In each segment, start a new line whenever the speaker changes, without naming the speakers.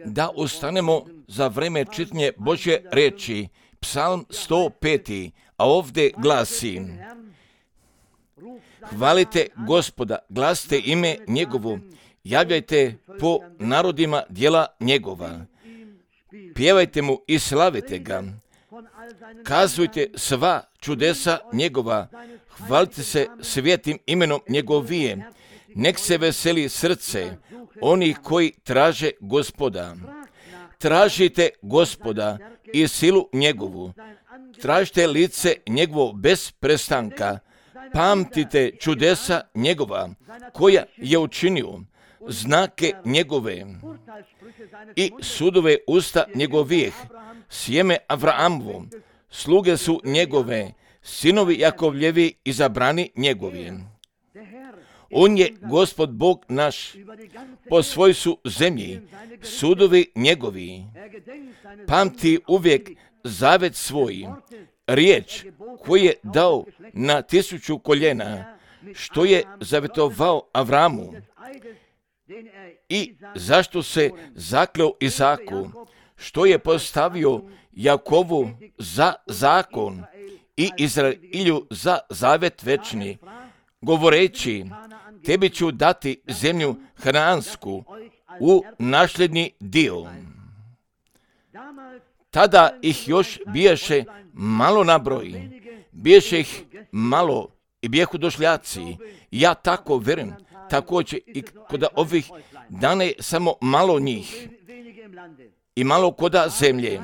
Da ustanemo za vreme čitanja Božje riječi, Psalm 105, a ovdje glasi: Hvalite Gospoda, glasite ime njegovo, javljajte po narodima djela njegova, pjevajte mu i slavite ga, kazujte sva čudesa njegova, hvalite se svijetim imenom njegovije, nek se veseli srce onih koji traže Gospoda. Tražite Gospoda i silu njegovu, tražite lice njegovo bez prestanka, pamtite čudesa njegova koja je učinio, znake njegove i sudove usta njegovih, sjeme Avraamovo, sluge su njegove, sinovi Jakovljevi izabrani njegovi. On je Gospod Bog naš, po svoj su zemlji, sudovi njegovi. Pamti uvijek zavet svoj, riječ koju je dao na 1000 koljena, što je zavetovao Avramu i zašto se zakleo Izaku, što je postavio Jakovu za zakon i Izraelju za zavet večni, govoreći: tebi ću dati zemlju Hanaansku u nasljedni dio. Tada ih još biješe malo na broj, biješe ih malo i bijehu došljaci. Ja tako verujem, također i kod ovih dana je samo malo njih i malo koda zemlje.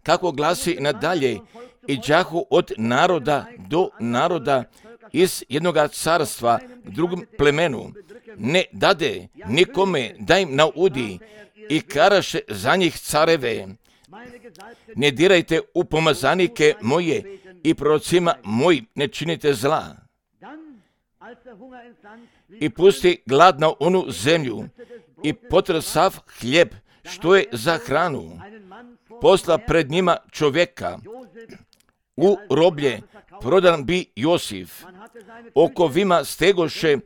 Kako glasi nadalje, i đahu od naroda do naroda, iz jednoga carstva k drugom plemenu, ne dade nikome da im naudi i karaše za njih careve. Ne dirajte u pomazanike moje i prorocima mojim ne činite zla. I pusti glad na onu zemlju i potre sav hljeb što je za hranu. Posla pred njima čovjeka, u roblje prodan bi Josif, okovima stegoše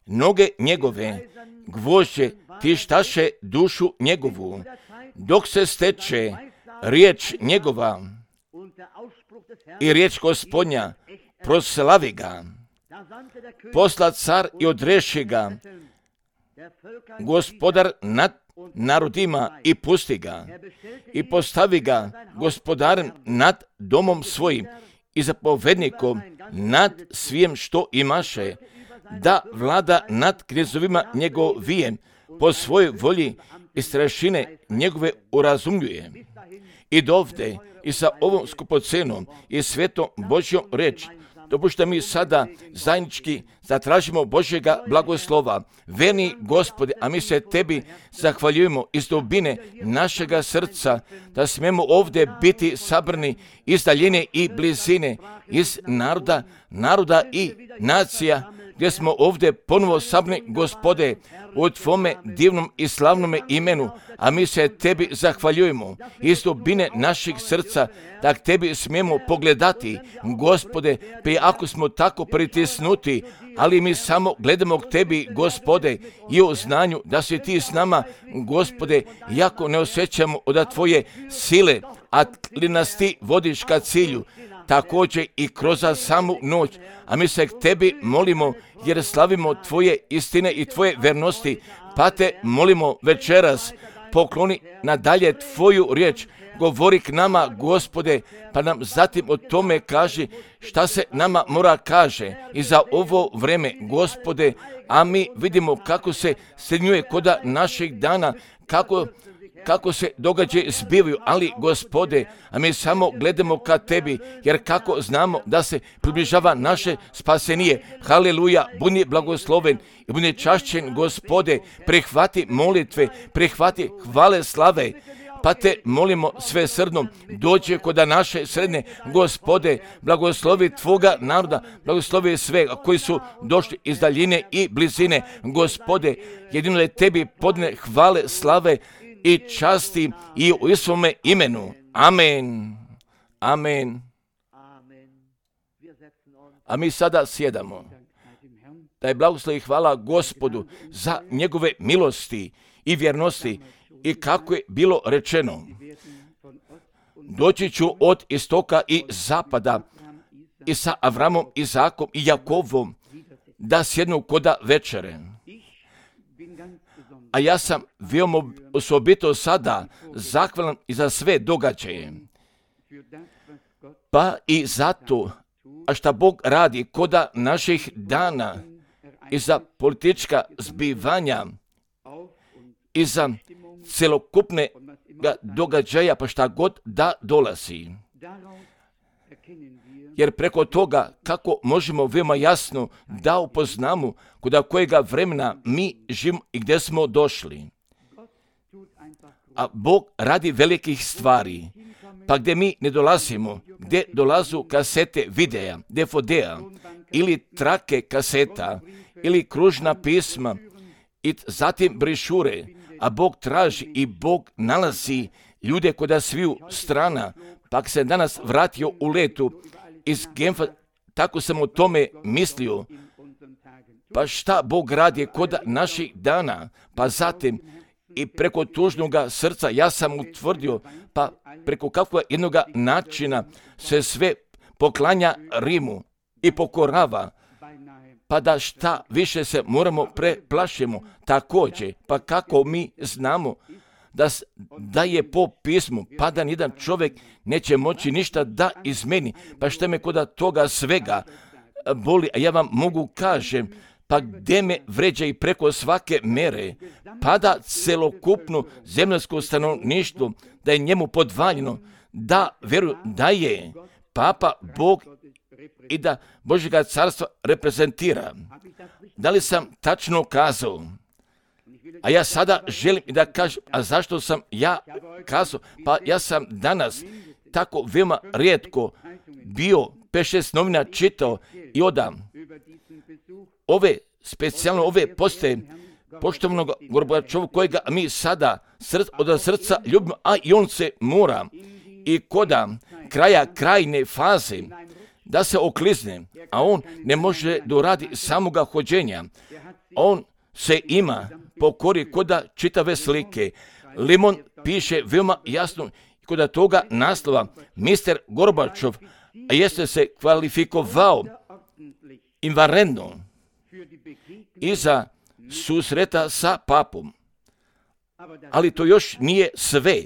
noge njegove, gvožđe tištaše dušu njegovu, dok se steče riječ njegova i riječ Gospodnja, proslavi ga. Posla car i odreši ga, Gospodar nad narodima i pusti ga, i postavi ga gospodarem nad domom svojim i zapovednikom nad svijem što imaše, da vlada nad knezovima njegovijem, po svojoj volji i strašine njegove urazumljuje. I dovde i sa ovom skupocenom i svetom Božjom reč, dopušta mi sada zajednički zatražimo Božjega blagoslova. Verni Gospode, a mi se tebi zahvaljujemo iz dubine našega srca, da smemo ovdje biti sabrani iz daljine i blizine, iz naroda i nacija, gdje smo ovdje ponovo sabrani, Gospode, u Tvome divnom i slavnome imenu, a mi se tebi zahvaljujemo iz dubine naših srca, da k tebi smijemo pogledati, Gospode, pa ako smo tako pritisnuti, ali mi samo gledamo k tebi, Gospode, i u znanju da si ti s nama, Gospode, iako ne osjećamo od tvoje sile, ali nas ti vodiš ka cilju, također i kroz samu noć, a mi se k tebi molimo, jer slavimo tvoje istine i tvoje vernosti, pa te molimo večeras, pokloni nadalje tvoju riječ, govori k nama, Gospode, pa nam zatim o tome kaži šta se nama mora kaže i za ovo vreme, Gospode, a mi vidimo kako se srednjuje koda naših dana, kako se događaje zbivaju, ali Gospode, a mi samo gledamo ka tebi, jer kako znamo da se približava naše spasenije. Haleluja, budi blagosloven i budi čašćen, Gospode, prihvati molitve, prihvati hvale slave, pa te molimo sve srdno, dođe koda naše sredne, Gospode, blagoslovi tvoga naroda, blagoslovi sve koji su došli iz daljine i blizine, Gospode, jedino je tebi podne hvale slave i časti i u svome imenu. Amen. Amen. A mi sada sjedamo. da je blagoslov i hvala Gospodu za njegove milosti i vjernosti i kako je bilo rečeno. Doći ću od istoka i zapada i sa Avramom, Izakom i Jakovom da sjednu koda večere. A ja sam veoma osobito sada zahvalan i za sve događaje. Pa i zato, a šta Bog radi koda naših dana i za politička zbivanja i za celokupne događaja, pa šta god da dolazi. Jer preko toga kako možemo veoma jasno da upoznamo kod kojega vremena mi živimo i gdje smo došli. A Bog radi velikih stvari, pa gdje mi ne dolazimo, gdje dolazu kasete videa, DVD-a ili trake kaseta ili kružna pisma i zatim brišure, a Bog traži i Bog nalazi ljude kod sviju strana, pa se danas vratio u letu iz Genfa, tako sam o tome mislio. Pa šta Bog radi kod naših dana, pa zatim i preko tužnoga srca ja sam utvrdio, pa preko kakvog jednoga načina se sve poklanja Rimu i pokorava, pa da šta više se moramo preplašimo također, pa kako mi znamo da je po pismu, pa da nijedan čovjek neće moći ništa da izmeni, pa šta me kod toga svega boli, a ja vam mogu kažem, pa gdje me vređa i preko svake mere, pa da celokupno zemljsko stanovništvo, da je njemu podvaljeno, da vjeruju da je Papa Bog i da Božjega carstva reprezentira. Da li sam tačno kazao? A ja sada želim da kažem, a zašto sam ja kazao? Pa ja sam danas tako veoma rijetko bio 5-6 novina čitao i odam specijalno ove postaje poštovanog Gorbačova kojega mi sada od srca ljubimo, a i on se mora i koda kraja krajne faze da se oklizne, a on ne može doradi samoga hođenja. On se ima pokori koda čitave slike. Limon piše veoma jasno koda toga naslova Mr. Gorbačov jeste se kvalifikovao invarentno iza susreta sa papom. Ali to još nije sve.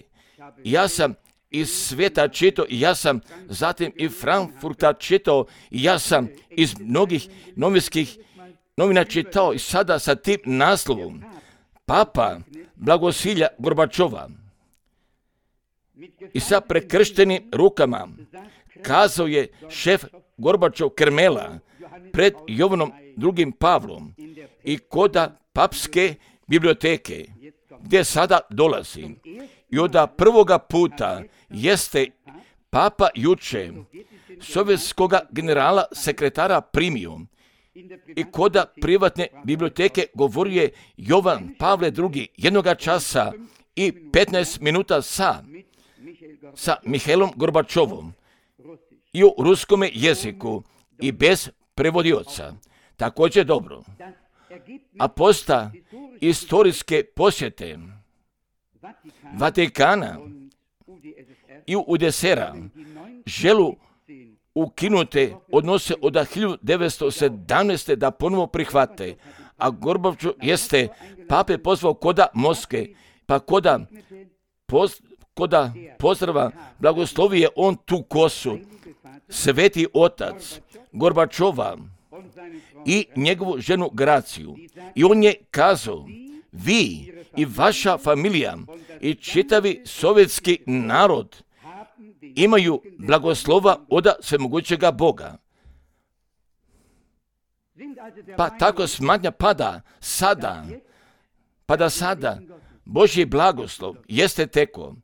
Ja sam iz svijeta čitao i ja sam zatim i Frankfurta čitao i ja sam iz mnogih novinskih novina čitao i sada sa tim naslovom Papa blagosilja Gorbačova i sa prekrštenim rukama kazao je šef Gorbačov Kremela pred Jovanom II. Pavlom i koda papske biblioteke gdje sada dolazi. I od prvoga puta jeste Papa juče sovjetskog generala sekretara primio i koda privatne biblioteke govorio je Jovan Pavle II. Jednoga časa i 15 minuta sa Mihailom Gorbačovom i u ruskome jeziku i bez prevodioca. Također dobro. A posta istorijske posjete Vatikana i UDSR-a želu ukinute odnose od 1917. da ponovo prihvate, a Gorbačov jeste pape pozvao koda Moskve, pa koda pozdrava blagoslovije on tu kosu, sveti otac Gorbačova i njegovu ženu Graciju. I on je kazao, vi i vaša familija i čitavi sovjetski narod imaju blagoslova od svemogućega Boga. Pa tako smatnja pada sada Božji blagoslov jeste teko.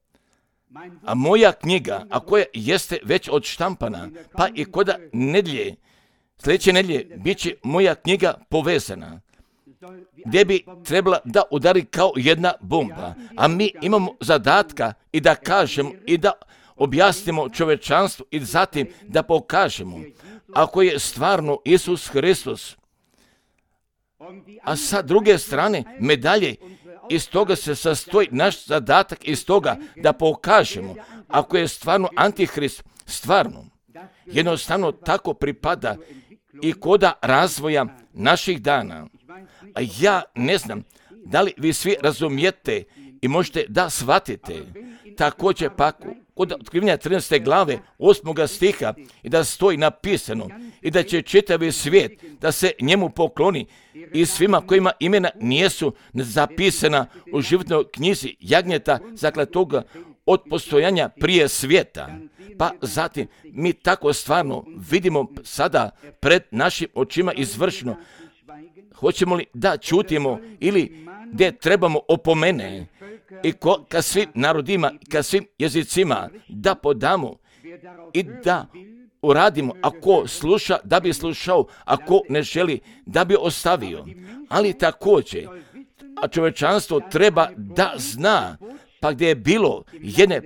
A moja knjiga, a koja jeste već odštampana, pa i koda nedlje, sljedeće nedlje, bit će moja knjiga povezana, gdje bi trebala da udari kao jedna bomba. A mi imamo zadatka i da kažemo i da objasnimo čovečanstvu i zatim da pokažemo ako je stvarno Isus Hristos A sa druge strane, medalje, iz toga se sastoji naš zadatak, iz toga da pokažemo, ako je stvarno Antihrist, stvarno, jednostavno tako pripada i koda razvoja naših dana. A ja ne znam da li vi svi razumijete i možete da shvatite. Također pa kod otkrivenja 13. glave 8. stiha i da stoji napisano i da će čitavi svijet da se njemu pokloni i svima kojima imena nijesu zapisana u životnoj knjizi jagnjeta zaklatoga od postojanja prije svijeta. Pa zatim mi tako stvarno vidimo sada pred našim očima izvršno. Hoćemo li da čutimo ili gdje trebamo opomene i ka svim narodima, ka svim jezicima da podamo i da uradimo. Ako sluša, da bi slušao, ako ne želi, da bi ostavio. Ali također, a čovječanstvo treba da zna, pa gdje je bilo jedne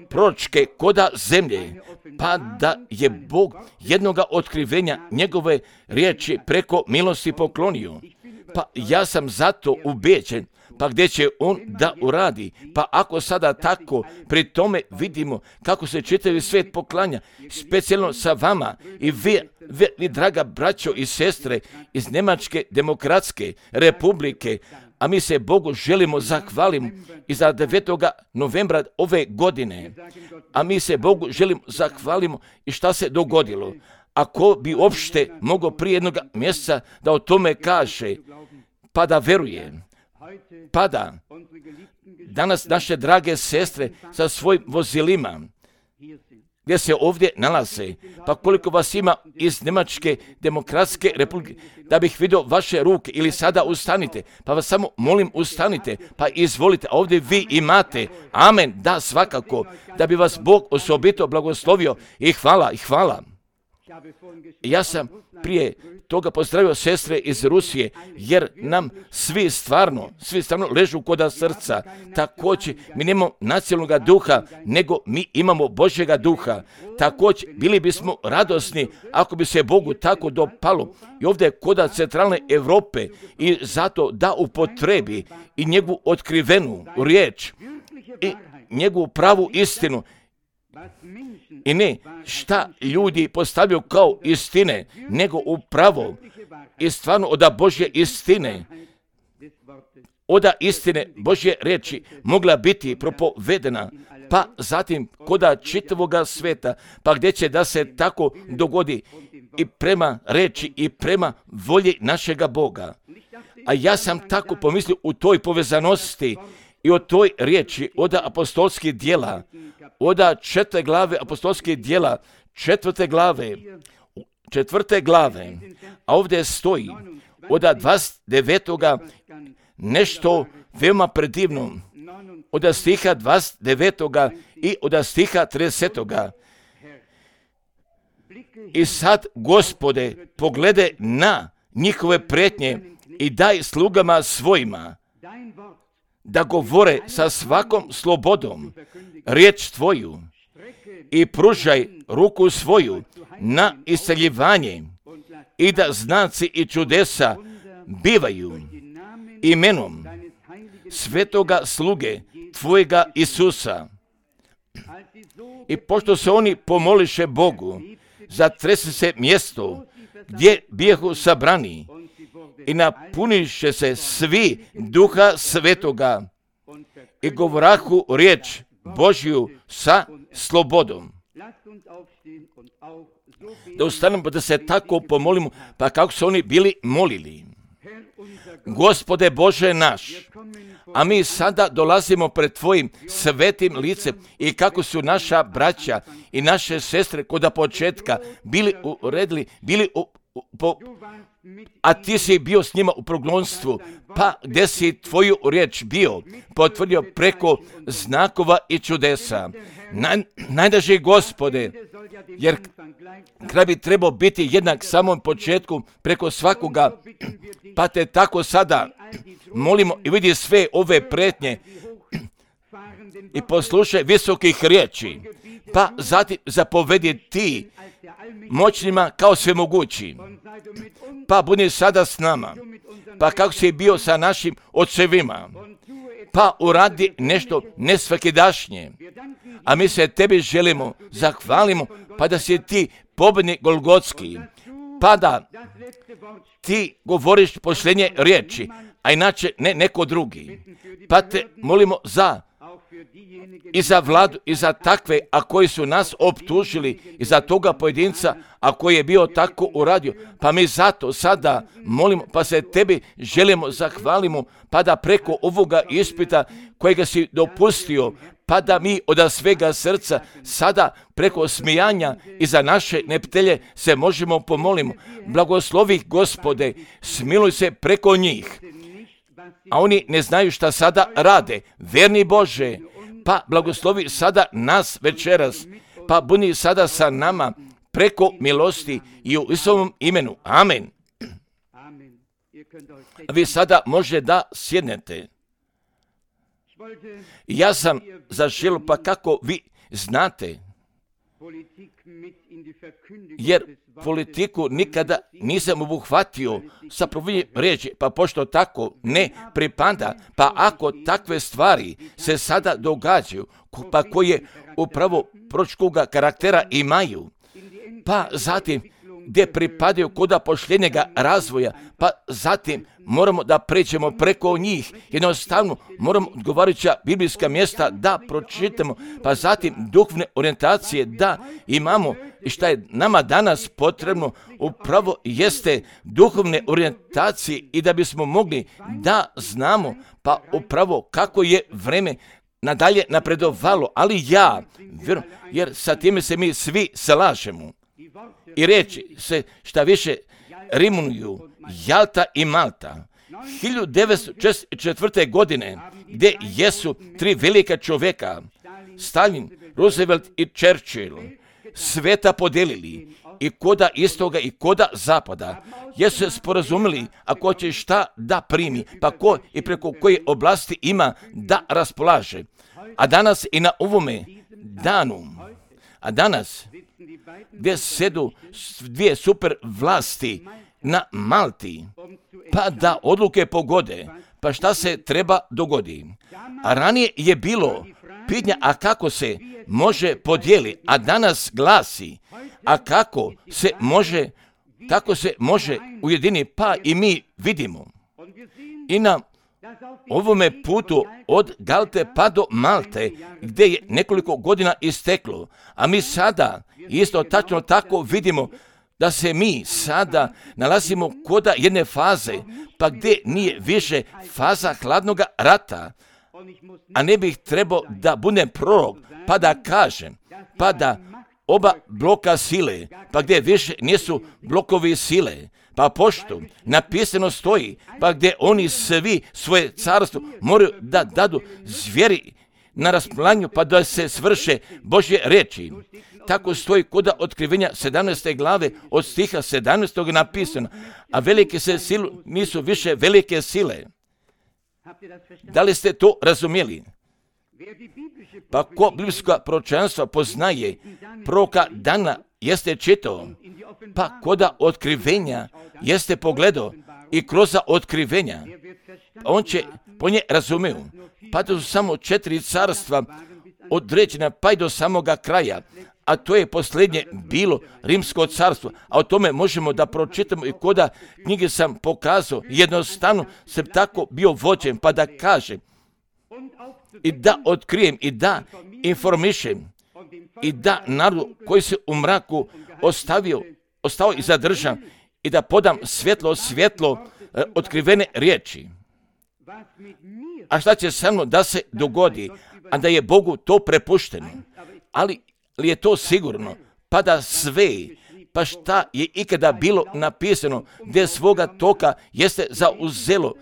proročke koda zemlje, pa da je Bog jednoga otkrivenja njegove riječi preko milosti poklonio. Pa ja sam zato ubeđen, pa gdje će on da uradi. Pa ako sada tako pri tome vidimo kako se čitavi svijet poklanja, specijalno sa vama i vi draga braćo i sestre iz Njemačke demokratske republike, a mi se Bogu želimo zahvaliti i za 9. novembra ove godine. A mi se Bogu želimo zahvalimo i šta se dogodilo. Ako bi uopšte mogao prije jednog mjeseca da o tome kaže, pa da veruje, pa da danas naše drage sestre sa svojim vozilima, gdje se ovdje nalaze, pa koliko vas ima iz Njemačke demokratske republike, da bih vidio vaše ruke ili sada ustanite, pa vas samo molim ustanite, pa izvolite, ovdje vi imate, amen, da svakako, da bi vas Bog osobito blagoslovio i hvala. Ja sam prije toga pozdravio sestre iz Rusije, jer nam svi stvarno ležu koda srca. Također, mi nemamo nacionalnog duha, nego mi imamo Božjega duha. Također, bili bismo radosni ako bi se Bogu tako dopalo i ovdje koda centralne Europe i zato da upotrebi i njegovu otkrivenu riječ i njegovu pravu istinu. I ne šta ljudi postavljaju kao istine, nego upravo i stvarno oda Božje istine, oda istine Božje reči mogla biti propovedena, pa zatim koda čitavoga sveta, pa gdje će da se tako dogodi i prema reči i prema volji našega Boga. A ja sam tako pomislio u toj povezanosti i o toj riječi oda apostolskih djela, oda 4. glave apostolskih djela, 4. glave, a ovdje stoji oda 29. nešto veoma predivno, oda stiha 29. i oda stiha 30. I sad, Gospode, poglede na njihove prijetnje i daj slugama svojima da govore sa svakom slobodom riječ Tvoju i pružaj ruku svoju na isceljivanje i da znaci i čudesa bivaju imenom svetoga sluge Tvojega Isusa. I pošto se oni pomoliše Bogu, zatrese se mjesto gdje bijehu sabrani i napuniše se svi Duha Svetoga i govorahu riječ Božju sa slobodom. Da ustanemo da se tako pomolimo, pa kako su oni bili molili. Gospode Bože naš, a mi sada dolazimo pred Tvojim svetim licem i kako su naša braća i naše sestre koda početka bili uredili, a Ti si bio s njima u progonstvu, pa gdje si Tvoju riječ bio potvrdio preko znakova i čudesa. Najdraži Gospode, jer kraj bi trebao biti jednak samom početku preko svakoga, pa Te tako sada molimo i vidi sve ove prijetnje i poslušaj visokih riječi, pa zatim zapovedi Ti moćnima kao svemogući pa budi sada s nama, pa kako si bio sa našim ocevima, pa uradi nešto nesvakidašnje. A mi se tebi želimo, zahvalimo, pa da si ti pobjednik Golgotski, pa da ti govoriš posljednje riječi, a inače ne neko drugi. Pa te molimo i za vladu, i za takve, a koji su nas optužili, i za toga pojedinca, a koji je bio tako uradio. Pa mi zato sada molimo, pa se tebi želimo, zahvalimo, pa da preko ovoga ispita kojega si dopustio, pa da mi od svega srca sada preko smijanja i za naše neptelje se možemo pomolimo. Blagoslovi Gospode, smiluj se preko njih, a oni ne znaju šta sada rade. Verni Bože, pa blagoslovi sada nas večeras, pa budi sada sa nama preko milosti i u Isusovom imenu. Amen. Vi sada može da sjednete. Ja sam zaželio, pa kako vi znate, jer politiku nikada nisam obuhvatio sa provodnjom riječi, pa pošto tako ne pripada, pa ako takve stvari se sada događaju, pa koje upravo proročkoga karaktera imaju, pa zatim gdje pripadaju koda posljednjega razvoja, pa zatim moramo da pređemo preko njih. Jednostavno moramo odgovarajuća biblijska mjesta da pročitamo, pa zatim duhovne orijentacije da imamo. I šta je nama danas potrebno upravo jeste duhovne orijentacije i da bismo mogli da znamo pa upravo kako je vreme nadalje napredovalo. Ali ja vjerujem, jer sa time se mi svi slažemo. I reći se šta više rimuju Jalta i Malta. 1904. godine gdje jesu tri velika čovjeka, Stalin, Roosevelt i Churchill, sveta podelili i koda istoga i koda zapada, jesu se sporazumili ako će šta da primi, pa ko i preko koje oblasti ima da raspolaže. A danas i na ovome danu, gdje sedu dvije super vlasti na Malti, pa da odluke pogode, pa šta se treba dogodi. A ranije je bilo pitanja, a kako se može podijeli, a danas glasi, a kako se može ujedini, pa i mi vidimo. I na ovome putu od Galte pa do Malte, gdje je nekoliko godina isteklo, a mi sada isto tačno tako vidimo da se mi sada nalazimo koda jedne faze, pa gdje nije više faza hladnoga rata, a ne bih trebao da budem prorok, pa da kažem, pa da oba bloka sile, pa gdje više nisu blokovi sile, pa pošto napisano stoji, pa gdje oni svi svoje carstvo moraju da dadu zvijeri na raspolaganju, pa da se svrše Božje riječi. Tako stoji koda otkrivenja 17. glave od stiha 17. napisano, a velike se sile nisu više velike sile. Da li ste to razumjeli? Pa ko biblijska proročanstva poznaje, proroka Dana jeste čitao, pa koda otkrivenja jeste pogledao i kroz otkrivenja, on će po nje razumiju. Pa to su samo 4 carstva određena pa i do samoga kraja, a to je posljednje bilo Rimsko carstvo, a o tome možemo da pročitamo i koda knjige sam pokazao, jednostavno sam tako bio vođen, pa da kažem i da otkrijem i da informišem i da narodu koji se u mraku ostao i zadržan i da podam svjetlo otkrivene riječi. A šta će samo da se dogodi, a da je Bogu to prepušteno? Ali li je to sigurno? Pa da sve, pa šta je ikada bilo napisano, gdje svoga toka jeste zauzelo,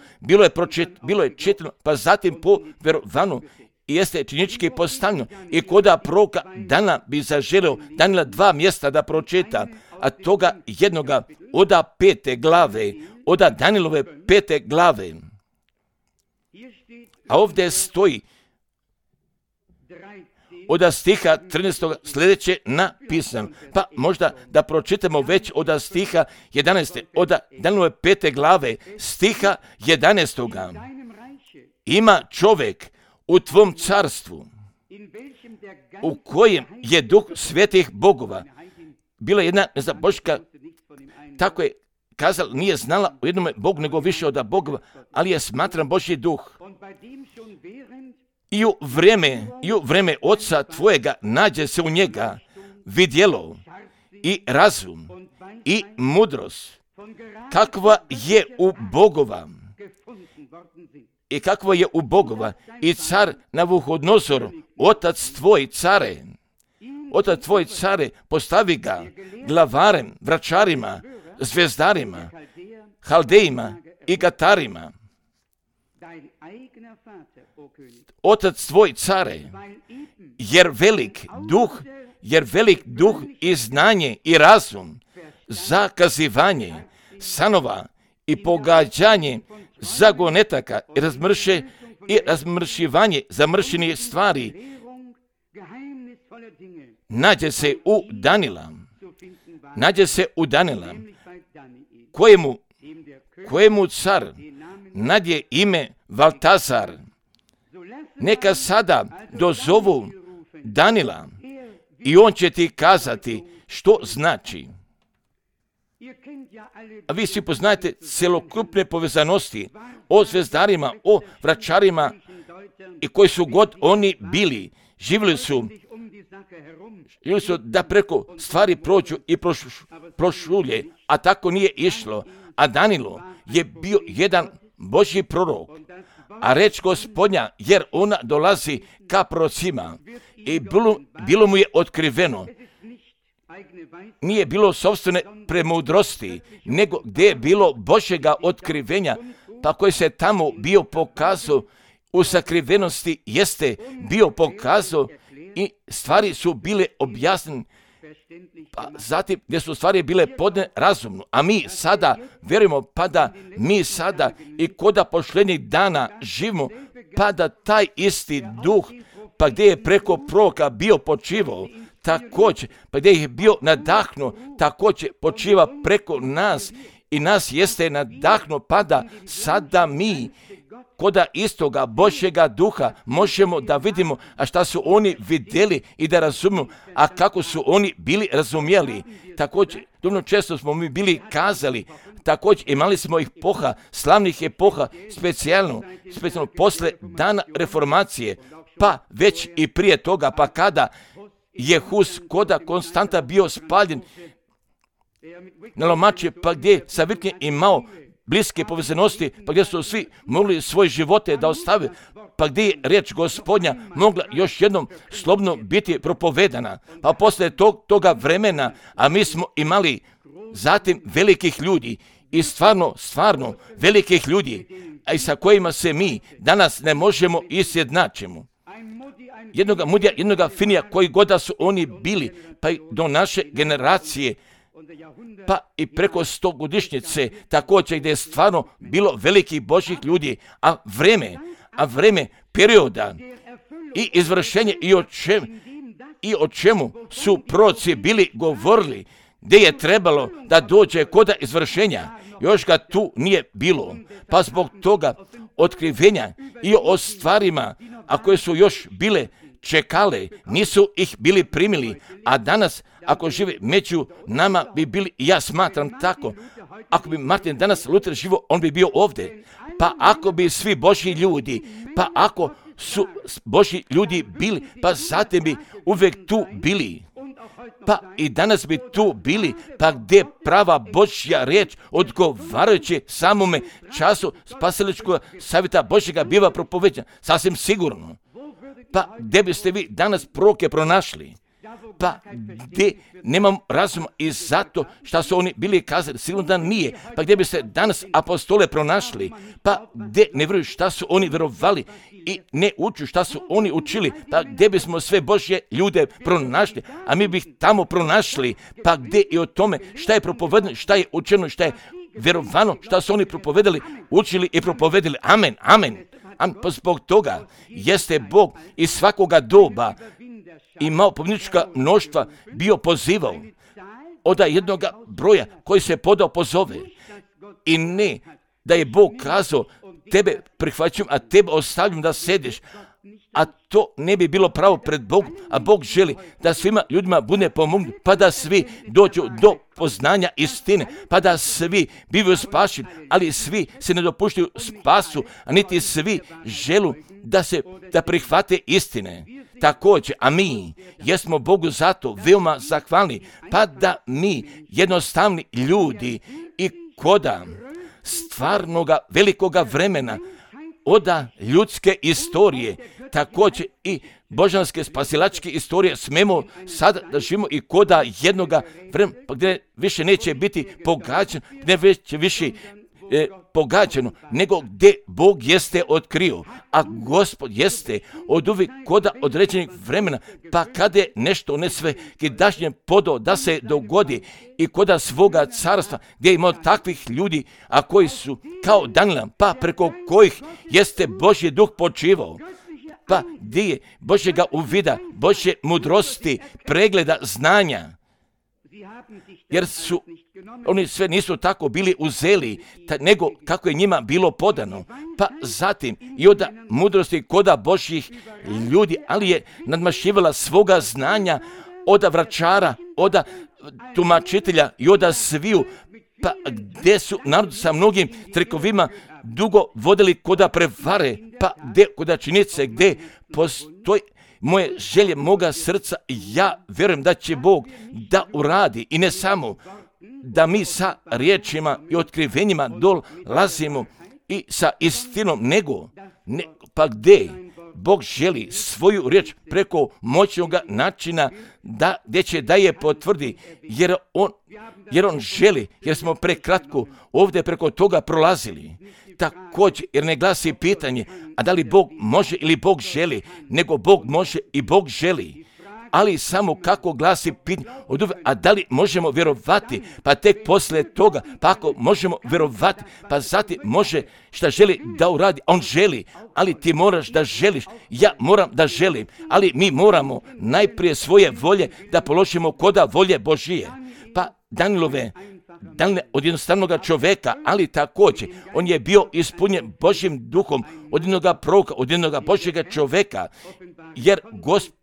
bilo je čitano, pa zatim po verovanu i jeste činički postavljeno. I koda proroka Dana bi zaželio Danila 2 mjesta da pročita, a toga jednoga oda 5. glave, oda Danilove 5. glave. A ovdje stoji od stiha 13. sljedeće napisano. Pa možda da pročitamo već od stiha 11. od Danilove 5. glave stiha 11. Ima čovjek u tvom carstvu u kojem je duh svetih bogova. Bila jedna nezaboška, tako je kazala, nije znala o jednom Bogu nego više od bogova, ali je smatran Božji duh. I u vreme oca tvojega nađe se u njega vidjelo i razum i mudrost, kakva je u bogova. I kakva je u bogova. I car Navuhodnozor, otac tvoj care, postavi ga glavarem, vračarima, zvezdarima, haldejima i gatarima. Otac tvoj care, jer velik duh i znanje i razum, zakazivanje sanova i pogađanje zagonetaka i razmršivanje zamršenih stvari nađe se u Danila, kojemu car nadje ime Valtazar. Neka sada dozovu Danila i on će ti kazati što znači. A vi svi poznajete celokupne povezanosti o zvezdarima, o vračarima i koji su god oni bili. Živjeli su da preko stvari prođu i prošulje, a tako nije išlo. A Danilo je bio jedan Božji prorok, a reč Gospodnja, jer ona dolazi ka prorocima i bilo mu je otkriveno. Nije bilo sopstvene premudrosti, nego gdje je bilo Božjega otkrivenja, pa koji se tamo bio pokazao u sakrivenosti, jeste bio pokazao i stvari su bile objasnene, pa zatim gdje su stvari bile podne razumno. A mi sada vjerujemo, pa da mi sada i koda pošljednjih dana živimo, pa da taj isti duh, pa gdje je preko proroka bio počivao, također, pa gdje je bio nadahnuo, također počiva preko nas i nas jeste nadahnuo, pa da sada mi koda istoga Božjega duha možemo da vidimo, a šta su oni vidjeli i da razumiju, a kako su oni bili razumjeli. Također, dovoljno često smo mi bili kazali, također imali smo epoha, slavnih epoha, specijalno posle dana reformacije, pa već i prije toga, pa kada je Hus koda Konstanta bio spaljen na lomače, pa gdje Savitnje imao bliske povezanosti, pa gdje su svi mogli svoje živote da ostave, pa gdje je riječ Gospodnja mogla još jednom slobodno biti propovedana. Pa poslije toga vremena, a mi smo imali zatim velikih ljudi i stvarno velikih ljudi, a i sa kojima se mi danas ne možemo izjednačimo. Jednoga Mudija, jednoga Finija, koji god da su oni bili, pa i do naše generacije, pa i preko 100-godišnjice, također gdje je stvarno bilo velikih Božjih ljudi, a vreme perioda i izvršenje i o čemu su proroci bili govorili, gdje je trebalo da dođe koda izvršenja, još ga tu nije bilo, pa zbog toga otkrivenja i o stvarima, a koje su još bile čekale, nisu ih bili primili, a danas ako žive među nama bi bili, i ja smatram tako, ako bi Martin danas Luther živo, on bi bio ovdje. Pa ako bi svi Božji ljudi, pa ako su Božji ljudi bili, pa zatim bi uvijek tu bili. Pa i danas bi tu bili, pa gdje prava Božja riječ odgovarajući samome času spasiličkog savjeta Božjega biva propoveđena, sasvim sigurno. Pa gdje biste vi danas proroke pronašli? Pa gdje nemam razuma i zato što su oni bili kazali, sigurno da nije. Pa gdje bi se danas apostole pronašli? Pa gdje ne vjeruju šta su oni vjerovali i ne uču šta su oni učili? Pa gdje bismo sve Božje ljude pronašli? A mi bi ih tamo pronašli. Pa gdje i o tome šta je propovedano, šta je učeno, šta je vjerovano, šta su oni propovedali, učili i propovedali. Amen, amen. Pa zbog toga jeste Bog iz svakoga doba imao pobjednička mnoštva bio pozivao od jednoga broja koji se podao pozove. I ne da je Bog kazao tebe prihvaćam, a tebe ostavljam da sediš. A to ne bi bilo pravo pred Bogom, a Bog želi da svima ljudima bude pomognu, pa da svi dođu do poznanja istine, pa da svi bivaju spašeni, ali svi se ne dopuštaju spasu, a niti svi želu da prihvate istine. Također, a mi jesmo Bogu zato veoma zahvalni, pa da mi jednostavni ljudi i koda stvarnoga velikoga vremena oda ljudske istorije, također i božanske spasilačke istorije smemo sada da živimo i koda jednoga vremena gdje više neće biti pogađano, gdje neće više pogađano, nego gdje Bog jeste otkrio, a Gospod jeste od uvijek koda određenih vremena, pa kada je nešto ne sve kidašnje podao da se dogodi i koda svoga carstva, gdje ima takvih ljudi, a koji su kao Danila, pa preko kojih jeste Božji duh počivao, pa gdje je Božjega uvida, Božje mudrosti, pregleda, znanja, jer su oni sve nisu tako bili uzeli, nego kako je njima bilo podano. Pa zatim i od mudrosti koda Božjih ljudi, ali je nadmašivala svoga znanja od vračara, od tumačitelja i od sviju, pa gdje su narod sa mnogim trikovima dugo vodili koda prevare, pa gdje koda činjenice, gdje postoji moje želje, moga srca, ja vjerujem da će Bog da uradi i ne samo da mi sa riječima i otkrivenjima dolazimo i sa istinom, nego pa gdje Bog želi svoju riječ preko moćnog načina gdje će da je potvrdi, jer on želi, jer smo prekratko ovdje preko toga prolazili. Također, jer ne glasi pitanje, a da li Bog može ili Bog želi, nego Bog može i Bog želi. Ali samo kako glasi pitanje, a da li možemo vjerovati, pa tek poslije toga, pa ako možemo vjerovati, pa zatim može šta želi da uradi, on želi, ali ti moraš da želiš, ja moram da želim, ali mi moramo najprije svoje volje da položimo koda volje Božije. Pa Danilove od jednostavnog čovjeka, ali također on je bio ispunjen Božjim duhom od jednog proroka, od jednog Božjega čovjeka, jer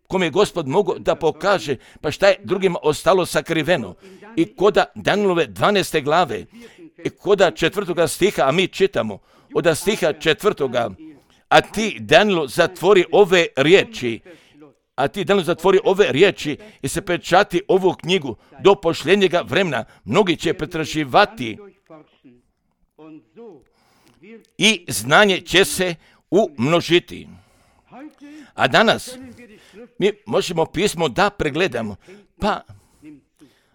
kome je Gospod mogao da pokaže, pa šta je drugima ostalo sakriveno. I koda Danilove 12. glave, i koda 4. stiha, a mi čitamo od stiha 4. A ti, Danilo, zatvori ove riječi i se pečati ovu knjigu do pošljenjega vremena. Mnogi će pretraživati i znanje će se umnožiti. A danas mi možemo pismo da pregledamo, pa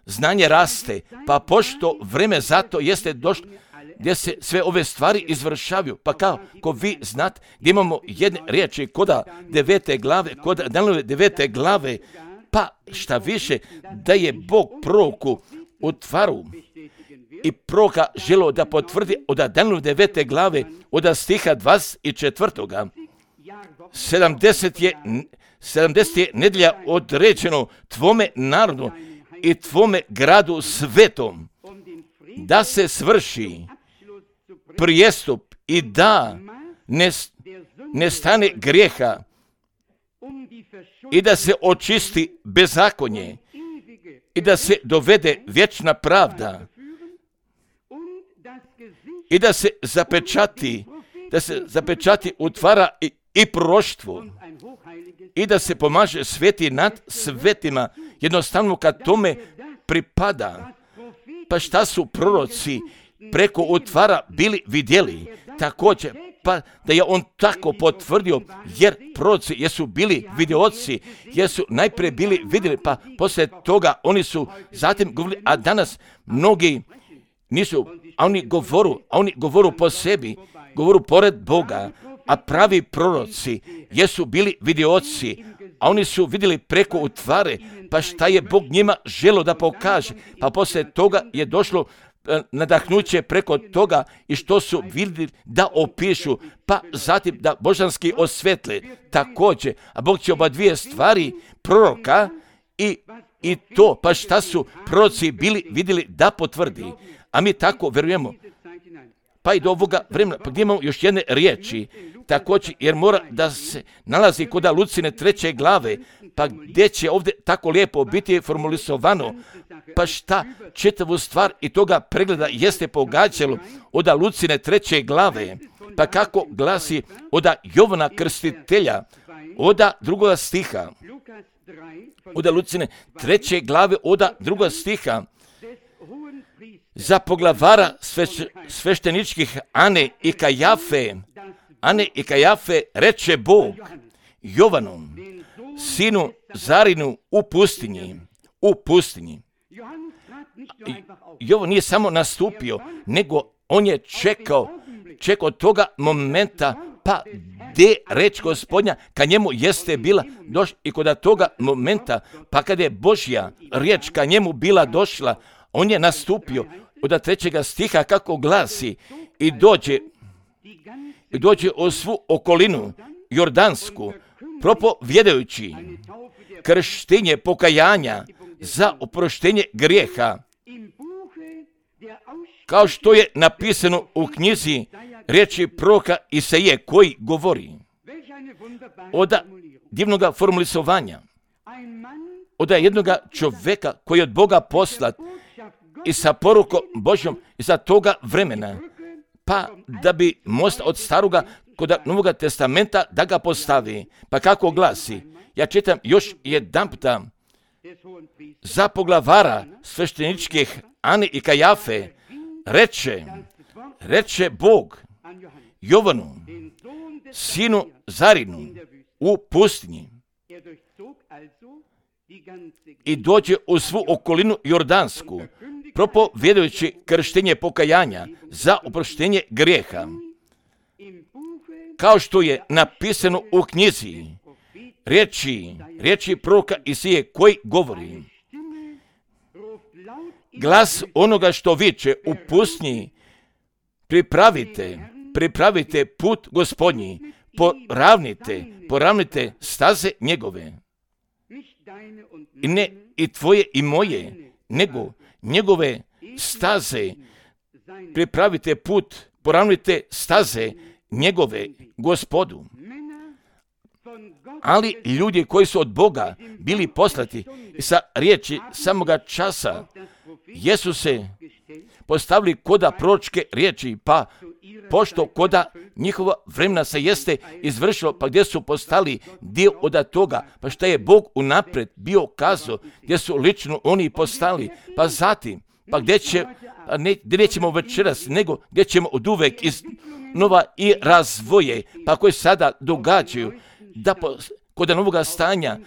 znanje raste, pa pošto vreme zato jeste došlo gdje se sve ove stvari izvršavaju, pa kako vi znate, gdje imamo jedne riječi koda 9. glave, koda Danilove 9. glave, pa šta više da je Bog proroku u tvaru i proroka želio da potvrdi od Danilove 9. glave, od stiha 24. 70 je nedjelja određeno tvome narodu i tvome gradu svetom, da se svrši prijestup i da ne stane grijeha i da se očisti bezakonje i da se dovede vječna pravda i da se zapečati utvara i proroštvo i da se pomaže sveti nad svetima, jednostavno kad tome pripada. Pa šta su proroci preko utvara bili vidjeli? Također, pa da je on tako potvrdio, jer proroci jesu bili vidioci, jesu najprije bili vidjeli, pa poslije toga oni su zatim govorili, a danas mnogi nisu, a oni govoru po sebi, govoru pored Boga, a pravi proroci jesu bili vidioci, a oni su vidjeli preko utvare, pa šta je Bog njima želio da pokaže, pa poslije toga je došlo nadahnuće preko toga i što su vidjeli da opišu, pa zatim da božanski osvetle također. A Bog će oba dvije stvari, proroka i to, pa šta su proroci bili vidjeli da potvrdi. A mi tako vjerujemo. Pa i do ovoga vremena, pa gdje imamo još jedne riječi, također, jer mora da se nalazi kod Lucine 3. glave, pa gdje će ovdje tako lijepo biti formulisovano, pa šta čitavu stvar i toga pregleda jeste pogađalo od Lucine 3. glave, pa kako glasi od Jovana Krstitelja, od 2. stiha, od Lucine 3. glave, od 2. stiha, za poglavara svešteničkih Ane i Kajafe reče Bog Jovanom, sinu Zarinu u pustinji. Jovan nije samo nastupio, nego on je čekao toga momenta, pa gdje reč Gospodnja ka njemu jeste bila došla i kod toga momenta, pa kad je Božja riječ ka njemu bila došla, on je nastupio od 3. stiha kako glasi i dođe u svu okolinu Jordansku, propovjedajući krštenje pokajanja za oproštenje grijeha, kao što je napisano u knjizi riječi proroka Isaije koji govori od divnoga formulisovanja, od jednoga čovjeka koji je od Boga poslat i sa porukom Božjom za toga vremena, pa da bi most od staroga kod Novoga testamenta da ga postavi. Pa kako glasi, ja čitam još jedan puta, za poglavara svešteničkih Ane i Kajafe reče Bog Jovanu, sinu Zarinu u pustinji, i dođe u svu okolinu Jordansku, propovjedajući krštenje pokajanja za oproštenje grijeha, kao što je napisano u knjizi riječi proroka Isaije koji govori, glas onoga što viče u pustinji, pripravite put Gospodnji, poravnite staze njegove. I ne i tvoje i moje, nego njegove staze, pripravite put, poravnite staze njegove Gospodu. Ali ljudi koji su od Boga bili poslati sa riječi samoga časa, jesu se postavili koda proročke riječi, pa pošto koda njihova vremena se jeste izvršilo, pa gdje su postali dio od toga, pa šta je Bog unaprijed bio kazao, gdje su lično oni postali, pa zatim, pa gdje nećemo večeras, nego gdje ćemo od uvek iznova i razvoje, pa koje sada događaju, da kod novoga stanja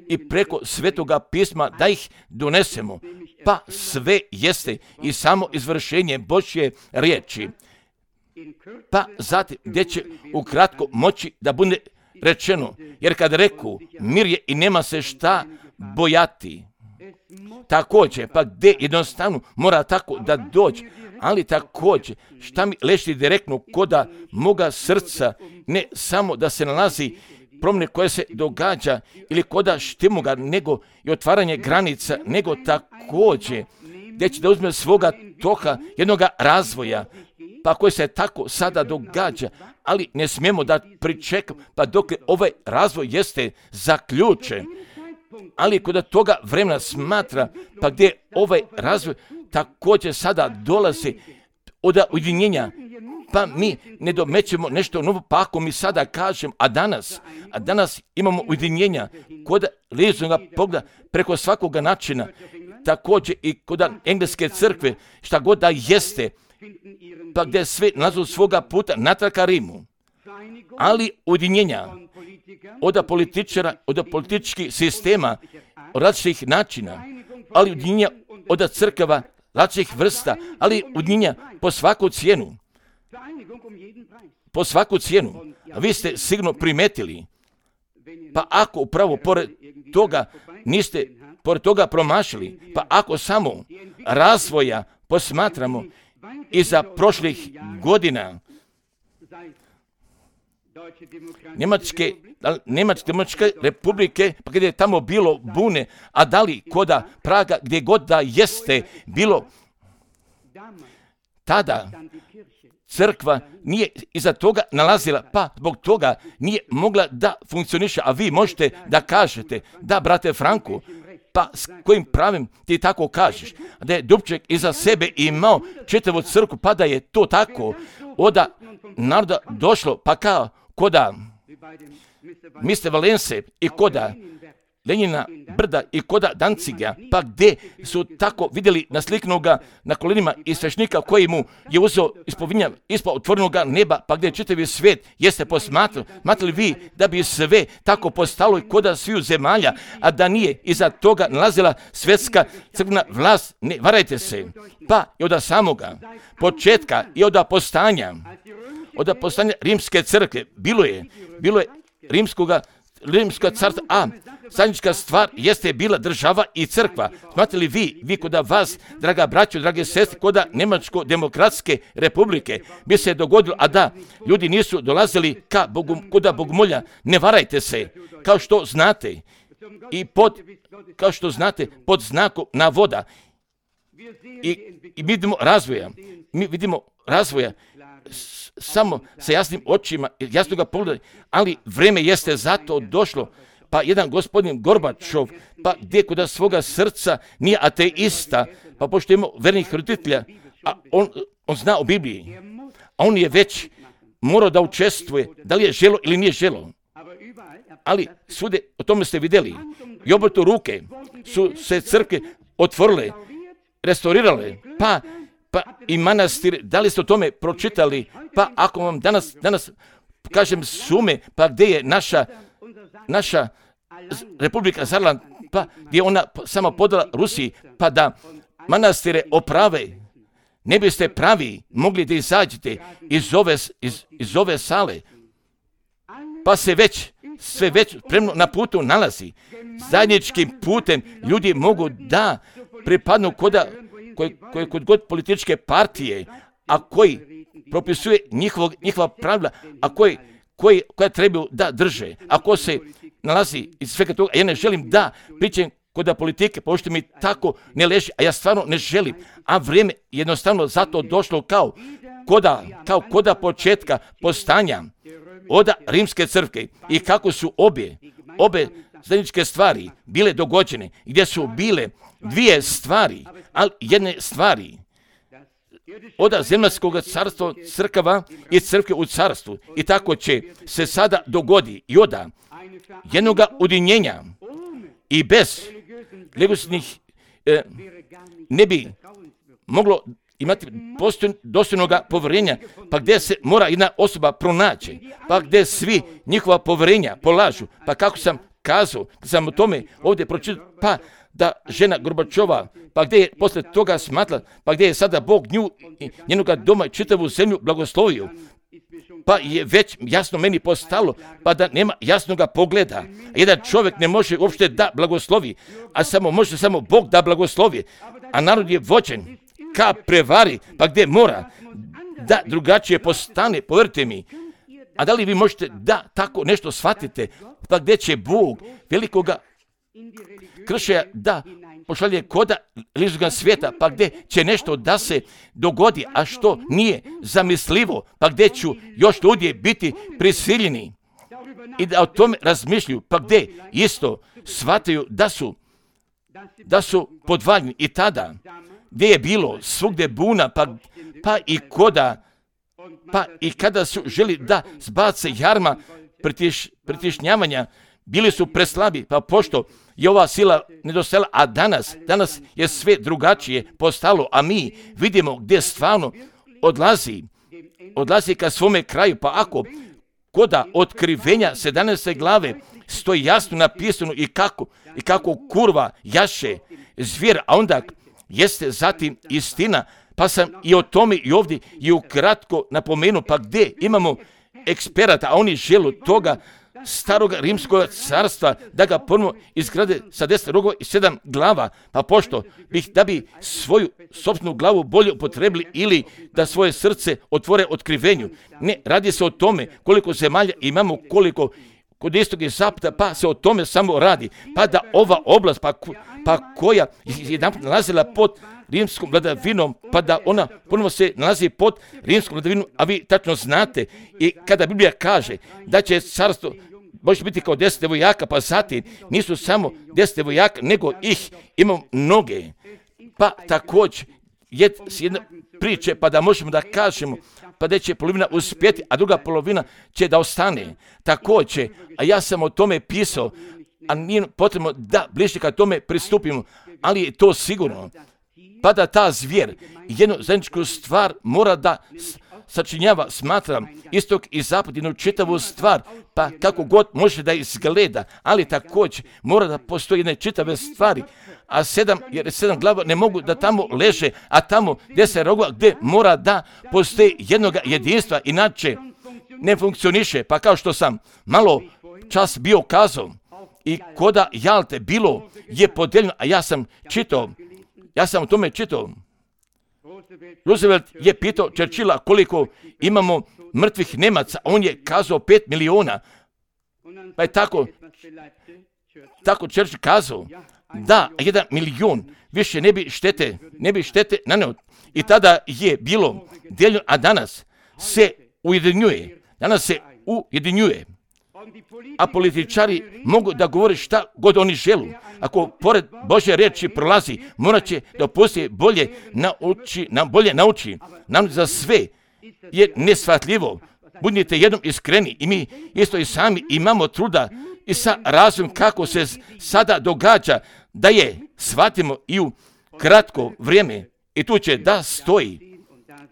i preko svetoga pisma da ih donesemo, pa sve jeste i samo izvršenje Božje riječi. Pa zatim gdje će ukratko moći da bude rečeno, jer kad reku mir je i nema se šta bojati, također, pa gdje jednostavno mora tako da dođe, ali također šta mi leži direktno koda moga srca, ne samo da se nalazi promjene koje se događa ili koda štimoga, nego i otvaranje granica, nego također gdje će da uzme svoga toka jednoga razvoja, pa koji se tako sada događa, ali ne smijemo da pričekamo, pa dok ovaj razvoj jeste zaključen, ali kod toga vremena smatra, pa gdje ovaj razvoj također sada dolazi od ujedinjenja, pa mi ne domećemo nešto novo, pa ako mi sada kažem, a danas imamo ujedinjenja kod lijezoga pogleda preko svakoga načina, također i kod engleske crkve, šta god da jeste, pa gdje sve nalazu svoga puta natrag ka Rimu, ali ujedinjenja od političara, od političkih sistema, od različitih načina, ali ujedinjenja od crkava različitih vrsta, ali ujedinjenja po svaku cijenu. Po svaku cijenu. A vi ste sigurno primetili, pa ako upravo pored toga niste pored toga promašili. Pa ako samo razvoja posmatramo iza prošlih godina Njemačke demokratske republike, pa gdje je tamo bilo bune, a da li koda Praga, gdje god da jeste bilo, tada crkva nije iza toga nalazila, pa zbog toga nije mogla da funkcioniše. A vi možete da kažete, da brate Franku, pa s kojim pravim ti tako kažeš, da je Dubček iza sebe imao čitavu crkvu, pa da je to tako od naroda došlo, pa kao koda Mr. Valence i koda Lenjina brda i koda Danciga, pa gdje su tako vidjeli nasliknuga na kolenima i svešnika koji mu je uzeo ispovinja ispod otvorenoga neba, pa gdje čitavi svijet jeste smatrali vi da bi sve tako postalo i koda sviju zemalja, a da nije iza toga nalazila svjetska crkvena vlast. Ne varajte se, pa i od samoga početka i od postanja rimske crkve bilo je rimska carstva, a zajednička stvar jeste bila država i crkva. Smatrali vi koda vas, draga braćo, drage sestre, koda Njemačko-demokratske republike bi se dogodilo, a da ljudi nisu dolazili ka Bogu, koda Bogomolja. Ne varajte se, kao što znate, pod znakom navoda. I mi vidimo razvoja samo sa jasnim očima, jasno ga pogledali, ali vreme jeste zato došlo. Pa jedan gospodin Gorbačov, pa gdje kod svoga srca nije ateista, pa pošto ima vernih roditelja, a on zna o Bibliji, a on je već morao da učestvuje, da li je želo ili nije želo. Ali svude, o tome ste vidjeli, i obrtu ruke su se crkve otvorile, restaurirale, pa i manastir, da li ste o tome pročitali, pa ako vam danas kažem sume, pa gdje je naša Republika Zarland, pa gdje ona sama podala Rusiji, pa da manastire oprave, ne biste pravi mogli da izađete iz ove sale, pa se sve već spremno na putu nalazi. Zajedničkim putem ljudi mogu da pripadnu kod god političke partije, a koji propisuje njihova pravila, a koja trebaju da drže. Ako se nalazi iz svega toga, ja ne želim da pričam kod politike, pošto mi tako ne leži, a ja stvarno ne želim, a vrijeme jednostavno zato došlo kao koda početka postanja od rimske crkve i kako su obe zajedničke stvari bile dogođene, gdje su bile dvije stvari, ali jedne stvari od zemaljskog carstva crkava i crkve u carstvu. I tako će se sada dogodi i od jednoga udinjenja i bez religioznih ne bi moglo imati dostojnoga povjerenja, pa gdje se mora jedna osoba pronaći, pa gdje svi njihova povjerenja polažu, pa kako sam kazao, sam o tome ovdje pročitao, pa da žena Gorbačova, pa gdje je posle toga smatrala, pa gdje je sada Bog nju i njenoga doma i čitavu zemlju blagoslovio, pa je već jasno meni postalo, pa da nema jasnoga pogleda. Jedan čovjek ne može uopšte da blagoslovi, a može samo Bog da blagoslovi, a narod je vođen ka prevari, pa gdje mora da drugačije postane, povjerite mi. A da li vi možete da tako nešto shvatite, pa gdje će Bog velikoga kršaja da pošalje koda religijskog svijeta, pa gdje će nešto da se dogodi, a što nije zamislivo, pa gdje ću još ljudi biti prisiljeni i da o tome razmišljaju, pa gdje isto shvataju da su podvaljeni. I tada gdje je bilo svugdje buna, pa i kada su želi da zbace jarma pritišnjavanja, bili su preslabi, pa pošto je ova sila nedostajala, a danas je sve drugačije postalo, a mi vidimo gdje stvarno odlazi ka svome kraju, pa ako koda otkrivenja 17. glave stoji jasno napisano i kako kurva jaše zvijer, a onda jeste zatim istina, pa sam i o tome i ovdje i ukratko napomenuo, pa gdje imamo eksperata, a oni žele toga starog rimskog carstva, da ga ponovo izgrade sa 10 rogova i 7 glava, pa pošto da bi svoju sopstvenu glavu bolje upotrebili ili da svoje srce otvore otkrivenju. Ne, radi se o tome koliko zemalja imamo, koliko kod istog i zapada, pa se o tome samo radi. Pa da ova oblast, pa koja je jedanput nalazila pod rimskom vladavinom, pa da ona ponovo se nalazi pod rimskom vladavinom, a vi tačno znate, i kada Biblija kaže da će carstvo može biti kao 10 vojaka, pa zatim nisu samo 10 vojaka, nego ih imamo mnoge. Pa također s jedne priče, pa da možemo da kažemo, pa da će polovina uspjeti, a druga polovina će da ostane. Također, a ja sam o tome pisao, a nije potrebno da bliže ka tome pristupimo, ali je to sigurno. Pa da ta zvijer jednu zajedničku stvar mora da sačinjava, smatram, istok i zapad, jednu čitavu stvar, pa kako god može da izgleda, ali također mora da postoji jedne čitave stvari, jer 7 glava ne mogu da tamo leže, a tamo 10 rogova gdje mora da postoji jednog jedinstva, inače ne funkcioniše. Pa kao što sam malo čas bio kazao, i koda Jalte bilo je podeljeno, a ja sam o tome čitao. Roosevelt je pitao Churchilla koliko imamo mrtvih Nemaca, on je kazao 5 miliona. Pa je tako Churchill kazao, da 1 milion više ne bi štete naneo. I tada je bilo deljeno, a danas se ujedinjuje. A političari mogu da govore šta god oni želu. Ako pored Božje riječi prolazi, morat će da poslije bolje nauči. Nam za sve je neshvatljivo. Budite jednom iskreni i mi isto i sami imamo truda i sa razumom kako se sada događa da je shvatimo i u kratko vrijeme i tu će da stoji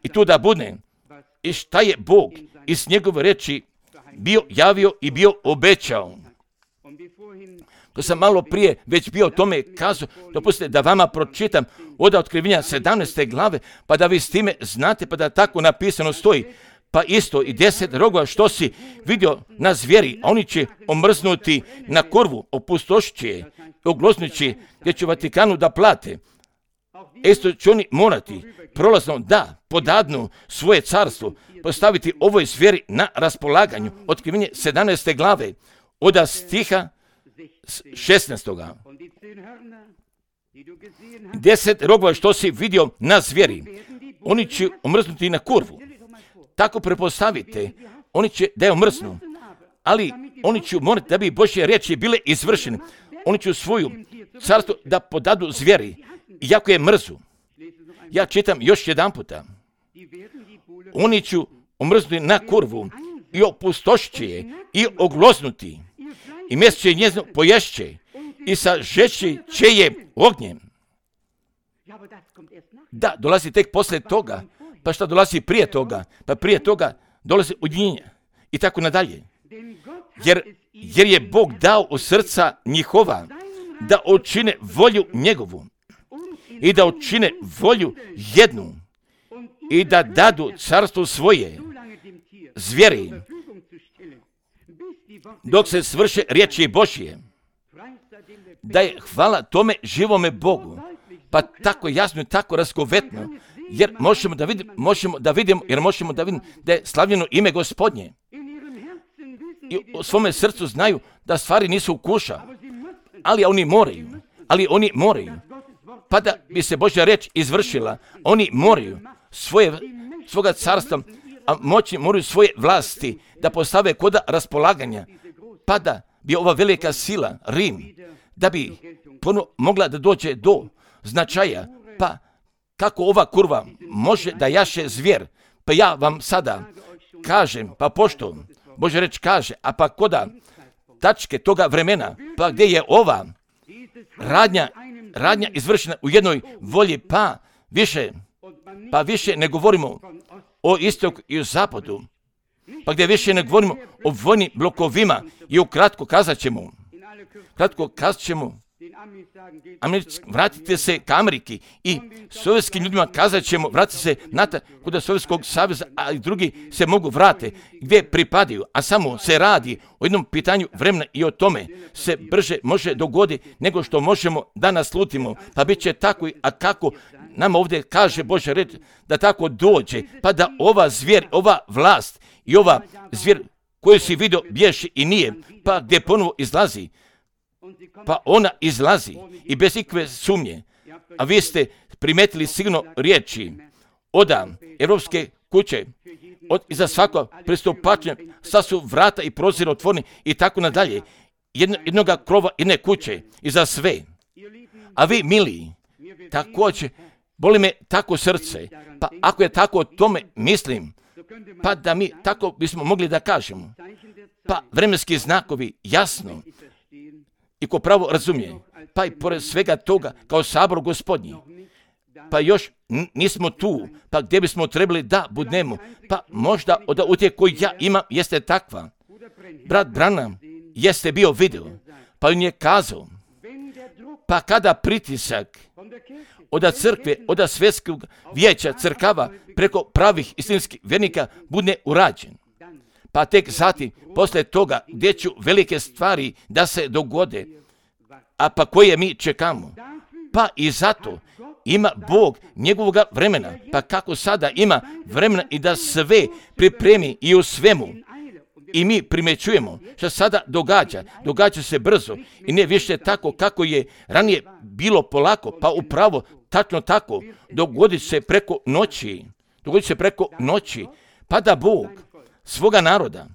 i tu da bude i šta je Bog iz njegove reči bio javio i bio obećao. Ko sam malo prije već bio o tome kazao, dopustite da vama pročitam od Otkrivenja 17. glave, pa da vi s time znate, pa da tako napisano stoji. Pa isto i 10 rogova što si vidio na zvijeri, a oni će omrznuti na korvu, opustošit će je, oglosnut će gdje će Vatikanu da plate. Isto će oni morati prolazno da podadnu svoje carstvo, postaviti ovoj zvijeri na raspolaganju. Otkrivenje 17. glave, od stiha 16. 10 rogova što si vidio na zvijeri, oni će omrznuti na kurvu. Tako prepostavite, oni će da je omrznu, ali oni će morati da bi Božje riječi bile izvršene. Oni će svoju carstvo da podadu zvijeri, iako je mrzu. Ja čitam još jedan puta. Oni će omrznuti na kurvu i opustošit će je i oglosnuti. I mjesto će njezno poješće i sažeći će je ognjem. Da, dolazi tek poslije toga. Pa šta dolazi prije toga? Pa prije toga dolazi ujedinjenje i tako nadalje. Jer je Bog dao u srca njihova da učine volju njegovu i da učine volju jednu i da dadu carstvo svoje zvijeri dok se svrše riječi Božje. Da je hvala tome živome Bogu. Pa tako jasno i tako razgovetno, jer možemo da vidimo da je slavljeno ime Gospodnje. I u svome srcu znaju da stvari nisu kuša, ali oni moraju. Pa da bi se Božja riječ izvršila, oni moraju svoga carstva, a moći moraju svoje vlasti da postave kod raspolaganja, pa da bi ova velika sila, Rim, da bi mogla da dođe do značaja, pa kako ova kurva može da jaše zvijer, pa ja vam sada kažem, pa pošto Božja reč kaže, a pa koda tačke toga vremena, pa gdje je ova radnja izvršena u jednoj volji, pa više ne govorimo o istoku i o zapadu, pa gdje više ne govorimo o vojnim blokovima i ukratko kazat ćemo vratite se ka Ameriki i sovjetskim ljudima kazat ćemo, vratite se kod Sovjetskog saveza, a i drugi se mogu vrate gdje pripadaju, a samo se radi o jednom pitanju vremena i o tome se brže može dogoditi nego što možemo da naslutimo, pa bit će tako, a kako nama ovdje kaže Božja reč da tako dođe, pa da ova zvijer, ova vlast i ova zvijer koju si vidio bježi i nije, pa gdje ponovo izlazi, pa ona izlazi i bez ikve sumnje. A vi ste primetili sigurno riječi od Evropske kuće, iza svakog pristupačenja, sad su vrata i prozori otvoreni i tako nadalje. Jednoga krova, jedne kuće i za sve. A vi, mili, također, boli me tako srce, pa ako je tako o tome mislim, pa da mi tako bismo mogli da kažemo, pa vremenski znakovi jasno i ko pravo razumije, pa i pored svega toga kao sabor Gospodnji, pa još nismo tu, pa gdje bismo trebali da budemo, pa možda od utjehe koju ja imam jeste takva. Brat Branham jeste bio video, pa on je kazao, pa kada pritisak od crkve, od svjetskog vijeća crkava preko pravih istinskih vjernika bude urađen, pa tek zatim, poslije toga, gdje ću velike stvari da se dogode, a pa koje mi čekamo. Pa i zato ima Bog njegovoga vremena, pa kako sada ima vremena i da sve pripremi i u svemu. I mi primjećujemo što sada događa se brzo i ne više tako kako je ranije bilo polako, pa upravo tačno tako, dogodit se preko noći, pa da Bog svoga naroda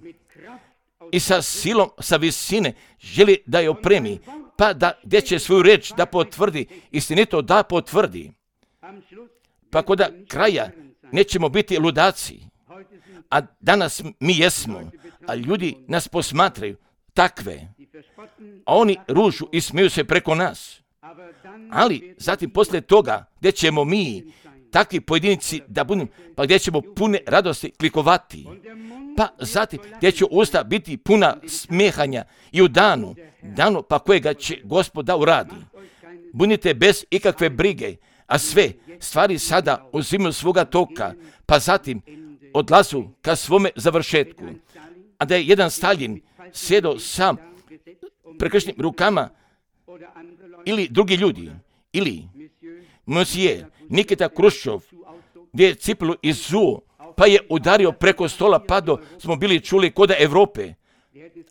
i sa silom, sa visine želi da je opremi, pa da gdje će svoju riječ da potvrdi, istinito da potvrdi. Pa kod kraja nećemo biti ludaci, a danas mi jesmo, a ljudi nas posmatraju takve, a oni ružu i smiju se preko nas. Ali zatim poslije toga gdje ćemo mi, takvi pojedinci da budemo, pa gdje ćemo pune radosti klikovati, pa zatim gdje će usta biti puna smijehanja i u danu pa kojega će Gospod da uradi. Budite bez ikakve brige, a sve stvari sada uzimaju svoga toka, pa zatim odlazu ka svome završetku. A da je jedan Stalin sjedao sam prekršnim rukama ili drugi ljudi, ili Monsije Nikita Kruščov, gdje je cipelu izuo, pa je udario preko stola, pa smo bili čuli koda Evrope,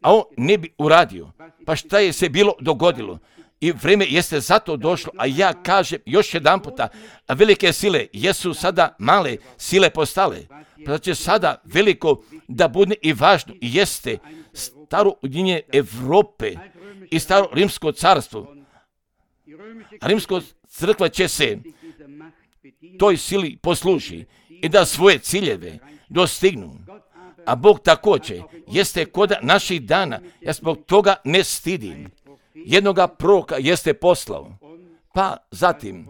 a on ne bi uradio. Pa šta je se bilo dogodilo? I vrijeme jeste zato došlo, a ja kažem još jedan puta, a velike sile jesu sada male sile postale, pa će sada veliko da bude i važno i jeste staro ujedinjenje Evrope i staro rimsko carstvo. A rimsko crkva će se toj sili posluži i da svoje ciljeve dostignu. A Bog također jeste kod naših dana, ja zbog toga ne stidim. Jednoga proroka jeste poslao, pa zatim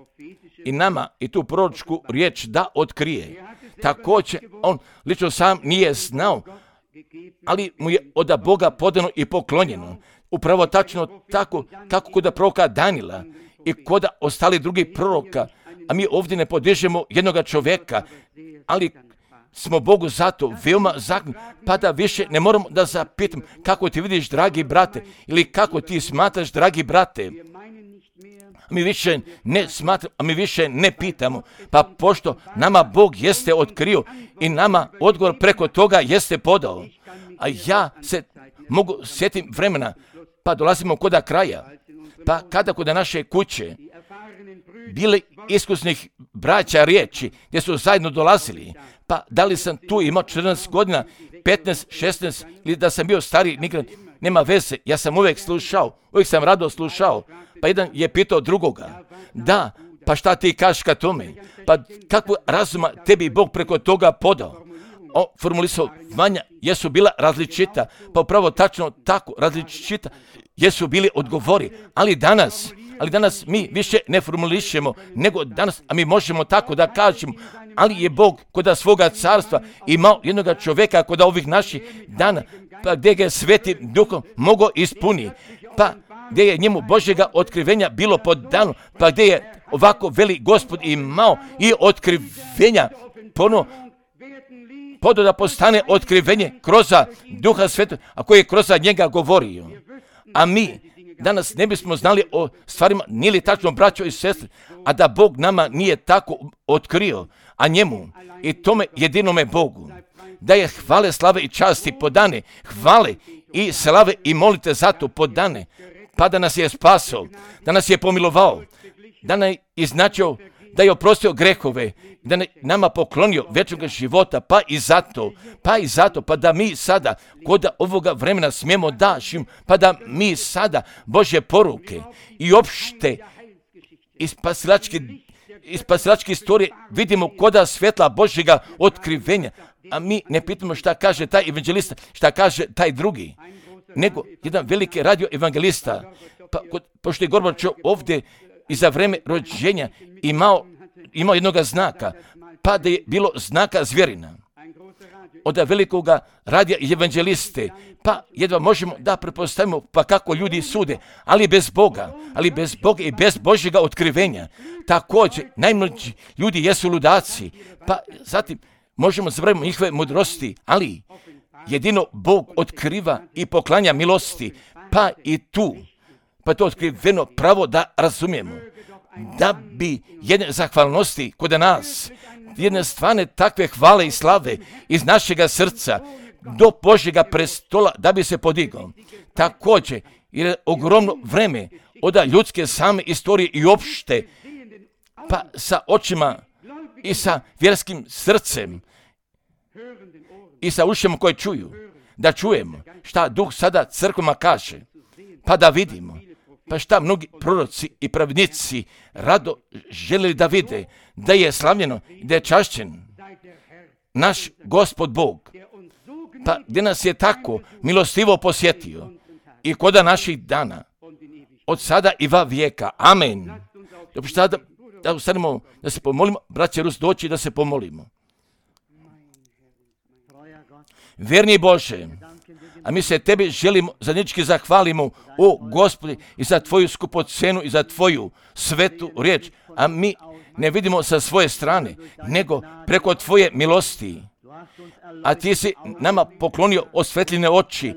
i nama i tu proročku riječ da otkrije. Također on lično sam nije znao, ali mu je od Boga podano i poklonjeno. Upravo tačno tako kako kod proroka Danila i kod ostali drugi proroka, a mi ovdje ne podižemo jednoga čovjeka, ali smo Bogu zato veoma zahvalni, pa da više ne moramo da zapitam kako ti vidiš, dragi brate, ili kako ti smatraš, dragi brate. Mi više ne smatramo, a mi više ne pitamo, pa pošto nama Bog jeste otkrio i nama odgovor preko toga jeste podao. A ja se mogu sjetim vremena, pa dolazimo kod kraja, pa kada kod naše kuće bili iskusnih braća riječi gdje su zajedno dolazili, pa da li sam tu imao 14 godina, 15, 16 ili da sam bio stariji, nikad nema veze, ja sam uvijek sam rado slušao, pa jedan je pitao drugoga, da, pa šta ti kažeš ka tome, pa kakvu razuma tebi Bog preko toga podao. Formulisovanja jesu bila različita, pa upravo tačno tako različita jesu bili odgovori, ali danas mi više ne formulišemo nego danas, a mi možemo tako da kažemo, ali je Bog kod svoga carstva imao jednoga čovjeka kod ovih naših dana, pa gdje ga Svetim Duhom mogao ispuniti. Pa gdje je njemu Božjega otkrivenja bilo podano, pa gdje je ovako veli Gospod imao i otkrivenja podo da postane otkrivenje kroz Duha Svetog, a koji je kroz njega govorio. A mi danas ne bismo znali o stvarima, nije li tačno, braćo i sestre, a da Bog nama nije tako otkrio, a njemu i tome jedinome Bogu, da je hvale, slave i časti podane, hvale i slave i molite zato podane, pa da nas je spasao, da nas je pomilovao, da nam je iznačio, da je oprostio grehove, da je nama poklonio vječnog života, pa i zato, pa da mi sada kod ovoga vremena smijemo dašim, pa da mi sada Božje poruke i opšte i spasilačke istorije vidimo koda svjetla Božjega otkrivenja, a mi ne pitamo šta kaže taj evanđelista, šta kaže taj drugi, nego jedan veliki radio evanđelista, pa pošto je Gorbačov ovdje i za vreme rođenja imao jednog znaka, pa da je bilo znaka zvjerina od velikoga radija i evanđeliste, pa jedva možemo da pretpostavimo pa kako ljudi sude, ali bez Boga i bez Božjega otkrivenja. Također, najmlađi ljudi jesu ludaci, pa zatim možemo zaboraviti njihove mudrosti, ali jedino Bog otkriva i poklanja milosti, pa i tu, pa to otkriveno pravo da razumijemo, da bi jedne zahvalnosti kod nas, jedne stvarne takve hvale i slave iz našega srca do Božjega prestola da bi se podigao. Također, jer je ogromno vreme od ljudske same istorije i opšte, pa sa očima i sa vjerskim srcem i sa ušima koje čuju, da čujemo šta Duh sada crkvama kaže, pa da vidimo, pa šta mnogi proroci i pravnici rado željeli da vide, da je slavljeno i da je čašćen naš Gospod Bog, pa gdje nas je tako milostivo posjetio i koda naših dana, od sada i va vijeka. Amen. Da ustanemo, da se pomolimo, braće Rus, doći da se pomolimo. Vjerni Bože, a mi se Tebi želimo zajednički zahvalimo, o Gospodi, i za Tvoju skupocenu i za Tvoju svetu riječ, a mi ne vidimo sa svoje strane, nego preko Tvoje milosti. A Ti si nama poklonio osvetljene oči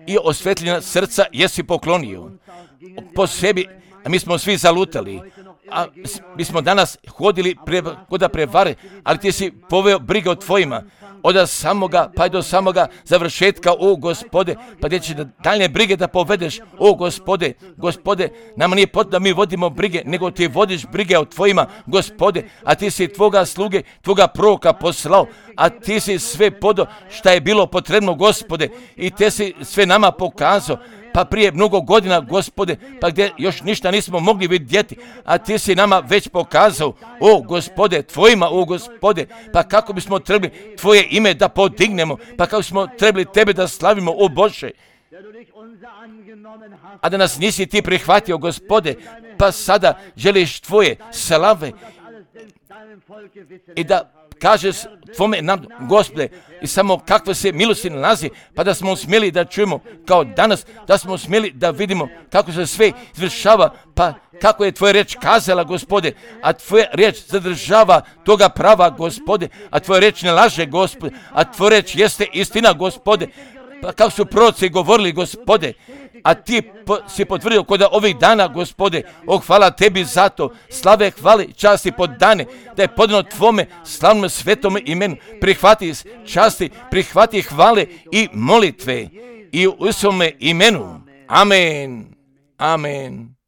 i osvetljena srca jesi poklonio. Po sebi, a mi smo svi zalutali, a mi smo danas hodili kod prevare, ali Ti si poveo brige o Tvojima, od samoga pa do samoga završetka, o Gospode, pa gdje će daljne brige da povedeš, o Gospode, nama nije potrebno da mi vodimo brige, nego Ti vodiš brige o Tvojima, Gospode, a Ti si Tvoga sluge, Tvoga proroka poslao, a Ti si sve podo šta je bilo potrebno, Gospode, i Te si sve nama pokazao, pa prije mnogo godina, Gospode, pa gdje još ništa nismo mogli vidjeti, a Ti si nama već pokazao, o Gospode, Tvojima, o Gospode, pa kako bismo trebali Tvoje ime da podignemo, pa kako smo trebali Tebe da slavimo, o Bože, a da nas nisi Ti prihvatio, Gospode, pa sada želiš Tvoje slave i da kažeš Tvome nam, Gospode, i samo kakve se milosti nalazi, pa da smo smjeli da čujemo kao danas, da smo smjeli da vidimo kako se sve izvršava, pa kako je Tvoja riječ kazala, Gospode, a Tvoja riječ zadržava toga prava, Gospode, a Tvoja riječ ne laže, Gospode, a Tvoja riječ jeste istina, Gospode, pa kako su proroci govorili, Gospode, a Ti si potvrdio kod ovih dana, Gospode, hvala Tebi za to, slave, hvale, časti podane, da je podano Tvome slavnom svetome imenu, prihvati časti, prihvati hvale i molitve i u svome imenu. Amen. Amen.